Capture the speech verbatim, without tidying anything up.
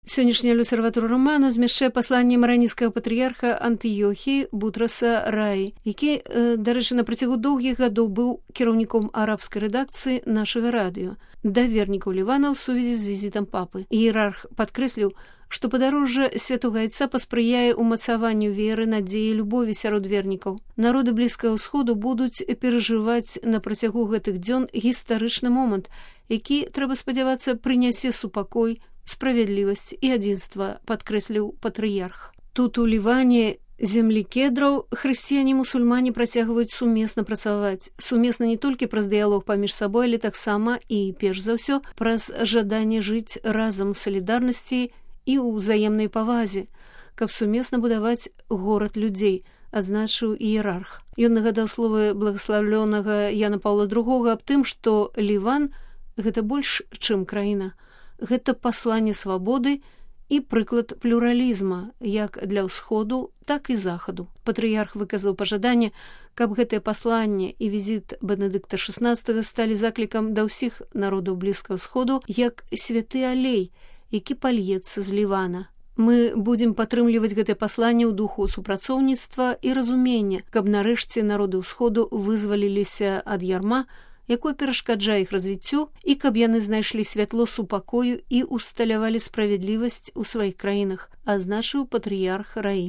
Сённяшняя люцерватура роману змяшчае пасланне маранійскага патрыярха Антыёхіі Бутраса Раі, які, дарэчы, на працягу доўгіх гадоў быў кіраўніком арабскай рэдакцыі нашага радыё, да вернікаў Лівана ў сувязі з візітам папы. Іерарх падкрэсліў, што падарожжа святога айца паспрыяе ўмацаванню веры, надзеі, любові сярод вернікаў. Народы Блізкага ўсходу будуць перажываць на працягу гэтых дзён гістарычны момант, які, трэба спадзявацца, прынясе супакой, справядлівасць і адзінства, падкрэсліў патрыярх. Тут у Ліване, зямлі кедраў, хрысціяне-мусульмане працягваюць сумесна працаваць. Сумесна не толькі праз дыялог паміж сабой, але таксама і, перш за ўсё, праз жаданне жыць разам у салідарнасці і ў ўзаемнай павазе, каб сумесна будаваць горад людзей, адзначыў іерарх. Ён нагадаў словы благаславлёнага Яна Паўла другога аб тым, што Ліван – гэта больш, чым краіна. Гэта пасланне свабоды і прыклад плюралізма як для ўсходу, так і захаду. Патрыярх выказаў пажаданне, каб гэтае пасланне і візіт Бенедыкта шаснаццатага сталі заклікам да ўсіх народаў Блізкага ўсходу як святы алей, які пальецца з Лівана. Мы будзем падтрымліваць гэтае пасланне ў духу супрацоўніцтва і разумення, каб нарэшце народы ўсходу вызваліліся ад ярма, якое перашкаджае іх развіццю, і каб яны знайшлі святло супакою і усталявалі справядлівасць у сваіх краінах, адзначыў патрыярх Раі.